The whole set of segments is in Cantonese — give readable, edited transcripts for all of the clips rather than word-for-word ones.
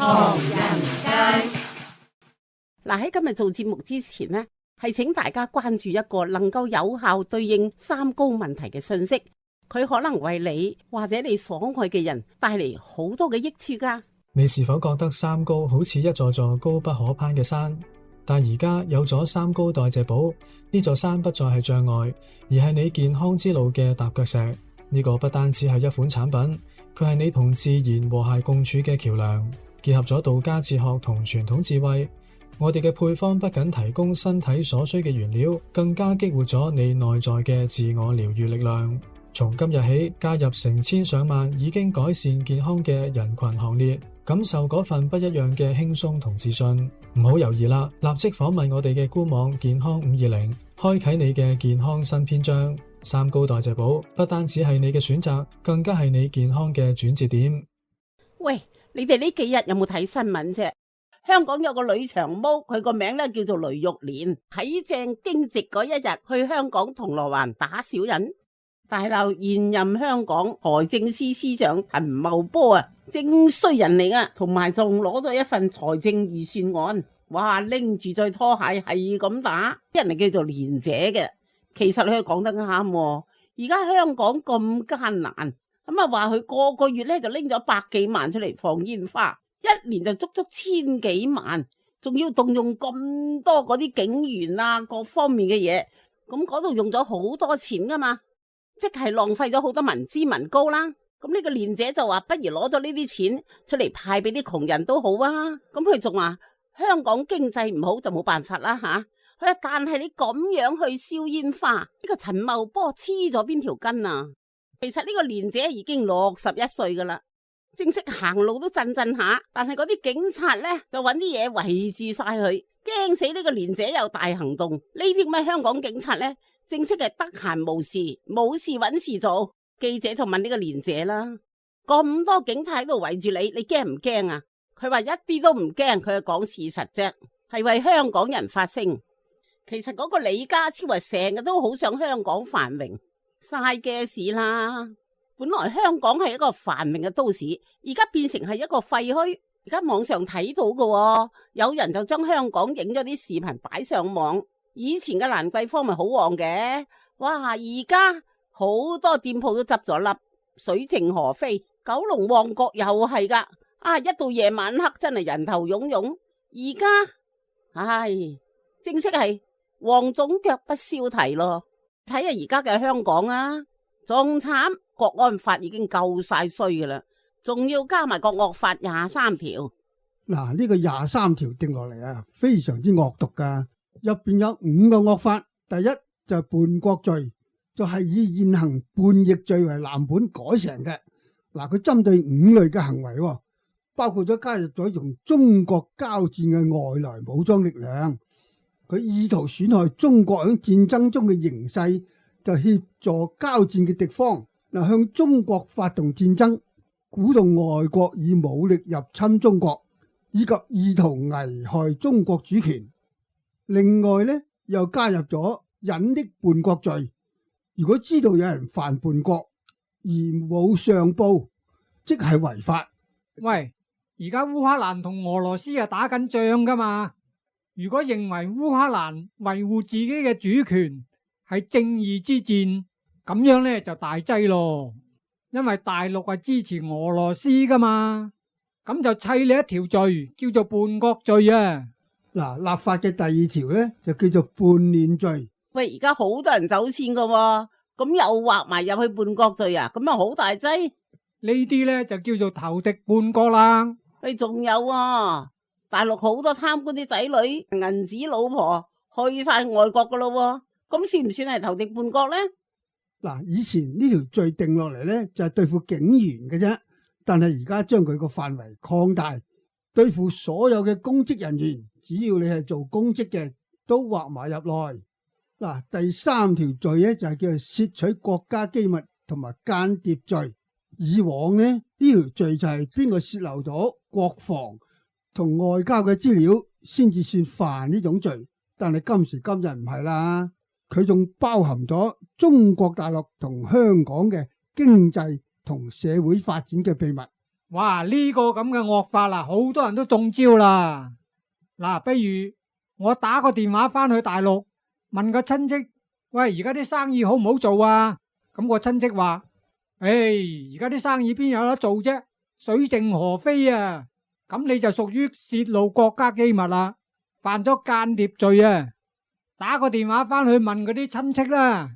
唐人街。嗱，喺今日做節目之前呢，係請大家關注一個能夠有效對應三高問題嘅信息，佢可能為你或者你所愛嘅人帶嚟好多嘅益處噶。你是否覺得三高好似一座座高不可攀嘅山？但而家有咗三高代謝寶，呢座山不再係障礙，而係你健康之路嘅踏腳石。呢個不單止係一款產品，佢係你同自然和諧共處嘅橋樑，結合咗道家哲學同傳統智慧。我哋嘅配方不僅提供身體所需嘅原料，更加激活咗你內在嘅自我療癒力量。從今日起，加入成千上萬已經改善健康嘅人群行列，感受嗰份不一樣嘅輕鬆同自信。唔好猶豫啦，立即訪問我哋嘅官網健康520，開啟你嘅健康新篇章。三高代謝寶不單止係你嘅選擇，更加係你健康嘅轉折點。喂，你哋呢幾日有冇睇新聞啫？香港有個女長毛，佢個名咧叫做雷玉蓮，睇正驚蟄嗰一日去香港銅鑼灣打小人，大鬧現任香港財政司司長陳茂波啊，正衰人嚟啊，同埋仲攞咗一份財政預算案，哇，拎住對拖鞋係咁打，啲人係叫做蓮姐嘅。其實佢講得啱，而家香港咁艱難，咁啊話佢個個月咧就拎咗百幾萬出嚟放煙花。一年就足足千幾萬，仲要動用咁多嗰啲警員啊，各方面嘅嘢，咁嗰度用咗好多錢噶嘛，即係浪費咗好多民脂民膏啦。咁呢個蓮姐就話，不如攞咗呢啲錢出嚟派俾啲窮人都好啊。咁佢仲話香港經濟唔好就冇辦法啦吓。佢話但係你咁樣去燒煙花，呢個陳茂波黐咗邊條筋啊？其實呢個蓮姐已經61歲噶啦。正式行路都震下，但係嗰啲警察呢，就揾啲嘢圍住晒佢，驚死呢個蓮姐有大行動。呢啲咁嘅香港警察呢，正式係得閒無事，冇事揾事做。記者就問呢個蓮姐啦，咁多警察喺度圍住你，你驚唔驚啊？佢話一啲都唔驚，佢係講事實啫，係為香港人發聲。其實嗰個李家超係成日都好想香港繁榮，嘥嘅事啦。本來香港係一個繁榮嘅都市，而家變成係一個廢墟。而家網上睇到嘅，有人就將香港影咗啲視頻擺上網。以前嘅蘭桂坊咪好旺嘅，哇！而家好多店鋪都執咗笠，水靜河飛。九龍旺角又係噶，啊！一到夜晚黑真係人頭湧湧。而家，唉，正式係黃總腳不消蹄咯。睇下而家嘅香港啊，仲慘。國安法已經夠晒衰噶啦，仲要加埋個惡法23條。嗱，呢個23條定落嚟啊，非常之惡毒噶。入邊有5個惡法，第一就係叛國罪，就係以現行叛逆罪為藍本改成嘅。嗱，佢針對5類嘅行為，包括咗加入咗同中國交戰嘅外來武裝力量，佢意圖損害中國喺戰爭中嘅形勢，就協助交戰嘅敵方。向中國發動戰爭，鼓動外國以武力入侵中國，以及意圖危害中國主權。另外呢，又加入咗隱匿叛國罪。如果知道有人犯叛國而冇上報，即係違法。喂，而家烏克蘭同俄羅斯係打緊仗噶嘛？如果認為烏克蘭維護自己嘅主權係正義之戰，咁樣呢就大劑咯，因為大陸係支持俄羅斯噶嘛，咁就砌你一條罪，叫做叛國罪啊。嗱，立法嘅第2條呢，就叫做叛亂罪。喂，而家好多人走錢噶，咁又劃埋入去叛國罪啊，咁啊好大劑。呢啲呢就叫做投敵叛國啦。喂，仲有啊，大陸好多貪官啲仔女、銀紙老婆去晒外國噶咯，咁算唔算係投敵叛國呢？嗱，以前呢條罪定落嚟呢，就係對付警員嘅啫，但係而家將佢個範圍擴大，對付所有嘅公職人員，只要你係做公職嘅，都劃埋入內。嗱，第3條罪呢，就係叫做竊取國家機密同埋間諜罪。以往呢條罪就係邊個洩漏咗國防同外交嘅資料先至算犯呢種罪，但係今時今日唔係啦。佢仲包含咗中國大陸同香港嘅經濟同社會發展嘅秘密。哇！呢個咁嘅惡法啦，好多人都中招啦。嗱，不如我打個電話翻去大陸，問個親戚，喂，而家啲生意好唔好做啊？咁個親戚話：而家啲生意邊有得做啫？水靜河飛啊！咁你就屬於泄露國家機密啦，犯咗間諜罪啊！打個電話翻去問嗰啲親戚啦。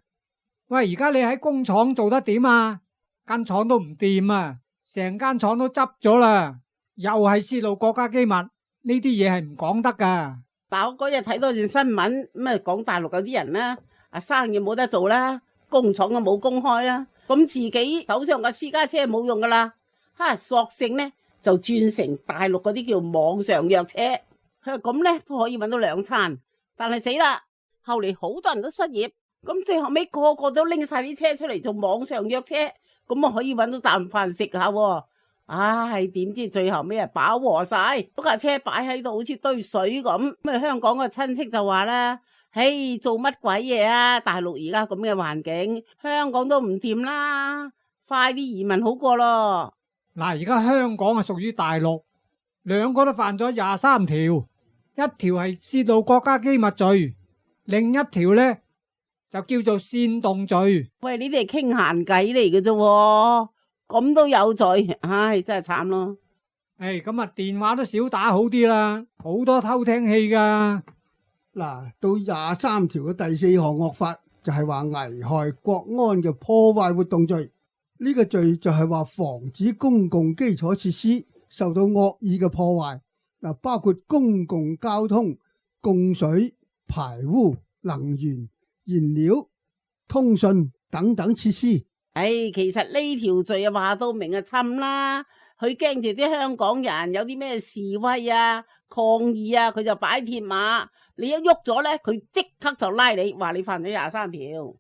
喂，而家你喺工廠做得點啊？間廠都唔掂啊！成間廠都執咗啦，又係泄露國家機密，呢啲嘢係唔講得噶。嗱，我嗰日睇到段新聞，咁啊講大陸有啲人啦，生意冇得做啦，工廠都冇公開啦，咁自己手上嘅私家車冇用噶啦，索性呢就轉成大陸嗰啲叫網上約車，佢話咁呢都可以搵到兩餐，但係死啦，後嚟好多人都失業，咁最後尾個個都拎晒啲車出嚟做網上約車。咁啊可以搵到啖飯食下喎，唉，點知最後尾啊飽和晒，嗰架車擺喺度好似堆水咁。咁啊香港個親戚就話啦：嘿，做乜鬼嘢啊？大陸而家咁嘅環境，香港都唔掂啦，快啲移民好過咯。嗱，而家香港係屬於大陸，兩個都犯咗23條，一條係泄露國家機密罪，另一條呢就叫做煽動罪。喂，呢啲係傾閒偈嚟嘅啫，咁都有罪，唉，真係慘咯。咁啊，電話都少打好啲啦，好多偷聽器噶。嗱，到23條嘅第4項惡法就係話危害國安嘅破壞活動罪。呢個罪就係話防止公共基礎設施受到惡意嘅破壞，嗱，包括公共交通、供水、排污、能源、燃料、通訊等等設施。其實呢條罪啊話到明啊侵啦，佢驚住啲香港人有啲咩示威啊、抗議啊，佢就擺鐵馬，你一喐咗咧，佢即刻就拉你，話你犯咗23條。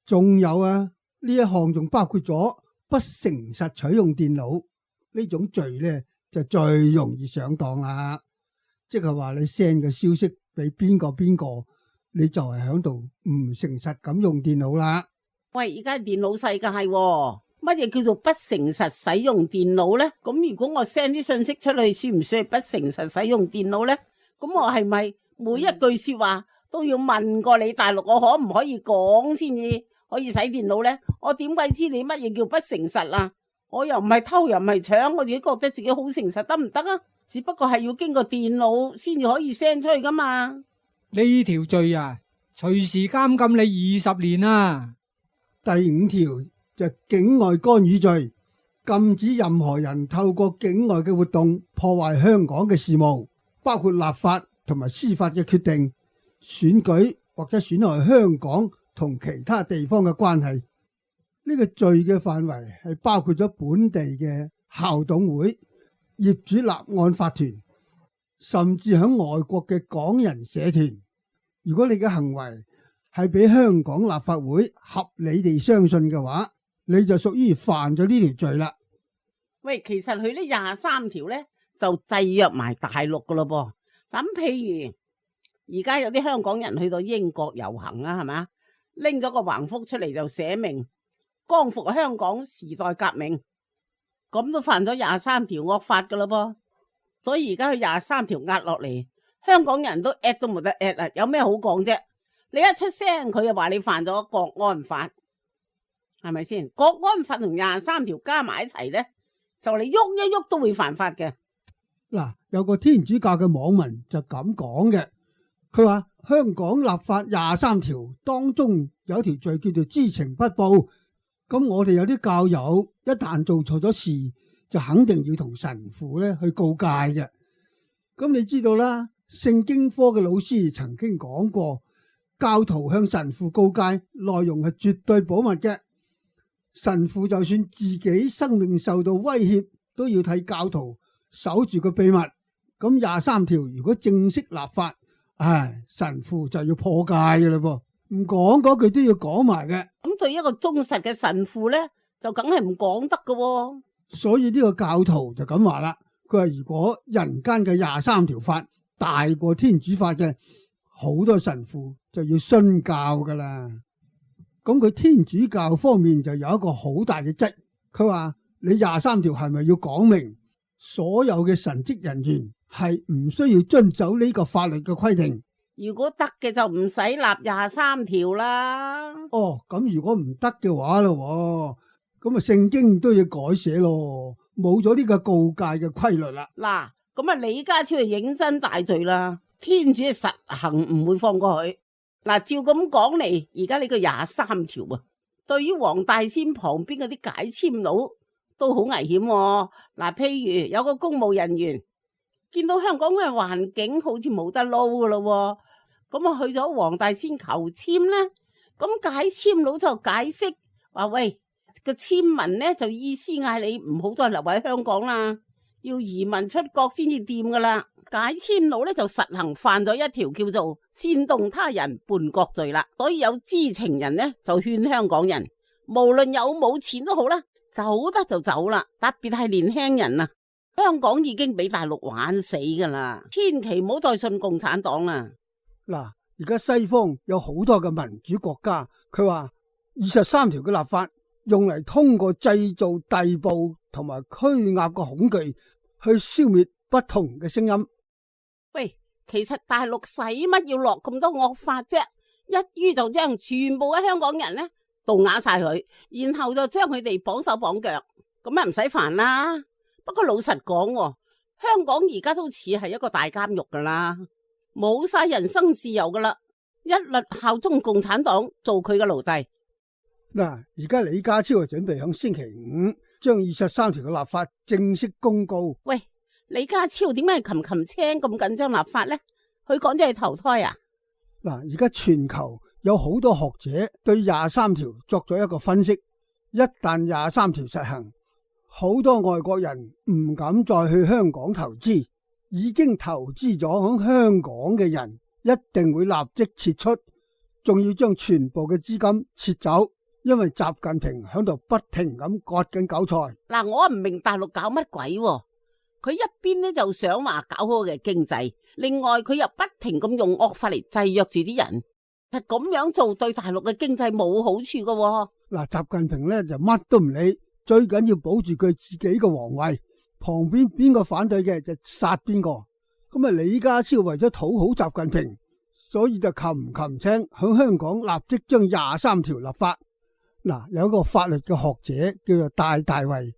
仲有啊，呢一項仲包括咗不誠實取用電腦呢種罪咧，就最容易上當啦。即係話你 send 嘅消息俾邊個，你就係響度唔誠實咁用電腦啦。喂，而家電腦世界喎，乜嘢叫做不誠實使用電腦呢？咁如果我 send 啲信息出去，算唔算係不誠實使用電腦呢？咁我係咪每一句說話都要問過你大陸我可唔可以講先至可以使電腦呢？我點鬼知你乜嘢叫不誠實啊？我又唔係偷又唔係搶，我自己覺得自己好誠實得唔得啊？只不過係要經過電腦先至可以 send 出去噶嘛。呢條罪啊，隨時監禁你20年啊！第5條就境外干預罪，禁止任何人透過境外嘅活動破壞香港嘅事務，包括立法同埋司法嘅決定、選舉或者損害香港同其他地方嘅關係。呢個罪嘅範圍係包括咗本地嘅校董會、業主立案法團，甚至響外國嘅港人社團。如果你嘅行為係俾香港立法會合理地相信嘅話，你就屬於犯咗呢條罪啦。喂，其實佢呢23條呢就制約埋大陸噶咯噃。咁譬如而家有啲香港人去到英國遊行啊，係咪？拎咗個橫幅出嚟就寫明光復香港時代革命，咁都犯咗23條惡法噶咯噃。所以而家佢23條壓落嚟，香港人都 at 都冇得 at 啦，有咩好講啫？你一出聲，佢就話你犯咗國安法，係咪先？國安法同23條加埋一齊呢，就你喐一喐都會犯法嘅。嗱，有個天主教嘅網民就咁講嘅，佢話香港立法23條當中有條罪叫做知情不報，咁我哋有啲教友一旦做錯咗事，就肯定要同神父咧去告誡嘅。咁你知道啦，聖經科嘅老師曾經講過，教徒向神父告誡內容係絕對保密嘅，神父就算自己生命受到威脅，都要替教徒守住個秘密。咁23條如果正式立法，神父就要破戒嘅啦噃，唔講嗰句都要講埋嘅。咁對一個忠實嘅神父呢，就梗係唔講得嘅。所以呢個教徒就咁話啦，佢話如果人間嘅23條法大過天主法嘅，好多神父就要殉教噶啦。咁佢天主教方面就有一個好大嘅質，佢話你23條係咪要講明所有嘅神職人員係唔需要遵守呢個法律嘅規定？如果得嘅就唔使立23條啦。哦，咁如果唔得嘅話咯，咁啊聖經都要改寫咯，冇咗呢個告誡嘅規律啦。嗱，咁啊李家超係認真大罪啦，天主係實行唔會放過佢。嗱，照咁講嚟，而家呢個23條啊，對於黃大仙旁邊嗰啲解簽佬都好危險。嗱，譬如有個公務人員見到香港嘅環境好似冇得撈噶咯，咁啊去咗黃大仙求簽咧，咁解簽佬就解釋話：喂，個簽文咧就意思嗌你唔好再留喺香港啦，要移民出國先至掂噶啦。解簽佬咧就實行犯咗一條叫做煽動他人叛國罪啦。所以有知情人咧就勸香港人，無論有冇錢都好啦，走得就走啦，特別係年輕人啊。香港已經俾大陸玩死噶啦，千祈唔好再信共產黨啦。嗱，而家西方有好多嘅民主國家，佢話23條嘅立法用嚟通過製造逮捕同埋拘押個恐懼，去消滅不同嘅聲音。喂，其實大陸使乜要落咁多惡法啫？一於就將全部嘅香港人咧毒啞晒佢，然後就將佢哋綁手綁腳，咁啊唔使煩啦。不過老實講，香港而家都似係一個大監獄噶啦，冇晒人身自由噶啦，一律效忠共產黨做佢嘅奴隸。嗱，而家李家超準備響星期5將23條嘅立法正式公告。喂，李家超點解係擒青咁緊張立法呢？佢講咗係投胎啊？嗱，而家全球有好多學者對23條作咗一個分析，一旦23條實行，好多外國人唔敢再去香港投資，已經投資咗響香港嘅人一定會立即撤出，仲要將全部嘅資金撤走，因為習近平響度不停咁割緊韭菜。嗱，我唔明大陸搞乜鬼喎？佢一邊咧就想話搞好嘅經濟，另外佢又不停咁用惡法嚟制約住啲人，其實咁樣做對大陸嘅經濟冇好處噶喎。嗱，習近平咧就乜都唔理，最緊要保住佢自己嘅皇位，旁邊邊個反對嘅就殺邊個。咁啊，李家超為咗討好習近平，所以就擒青響香港立即將23條立法。嗱，有一個法律嘅學者叫做戴大衛，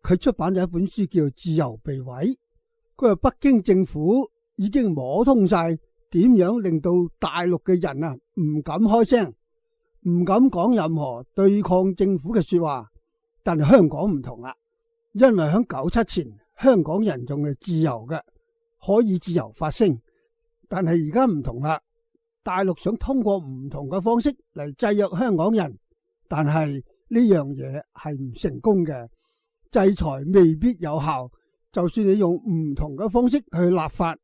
佢出版咗一本書叫做《自由被毀》。佢話北京政府已經摸通晒點樣令到大陸嘅人啊唔敢開聲，唔敢講任何對抗政府嘅說話。但係香港唔同啦，因為喺97前香港人仲係自由嘅，可以自由發聲。但係而家唔同啦，大陸想通過唔同嘅方式嚟制約香港人，但係呢樣嘢係唔成功嘅，制裁未必有效。就算你用唔同嘅方式去立法，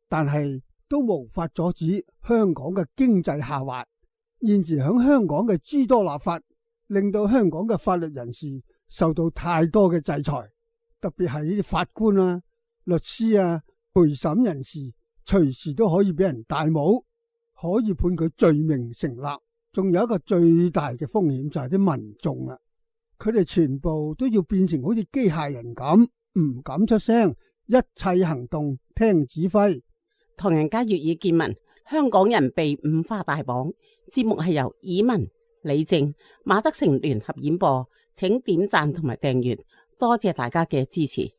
但係都無法阻止香港嘅經濟下滑。現時喺香港嘅諸多立法，令到香港嘅法律人士受到太多嘅制裁，特別係呢啲法官啊、律師啊、陪審人士，隨時都可以俾人戴帽，可以判佢罪名成立。仲有一個最大嘅風險就係啲民眾啊，佢哋全部都要變成好似機械人咁，唔敢出聲，一切行動聽指揮。唐人街粵語見聞，香港人被五花大綁。節目係由以文、李正、馬德成聯合演播，請點讚同埋訂閱，多謝大家嘅支持。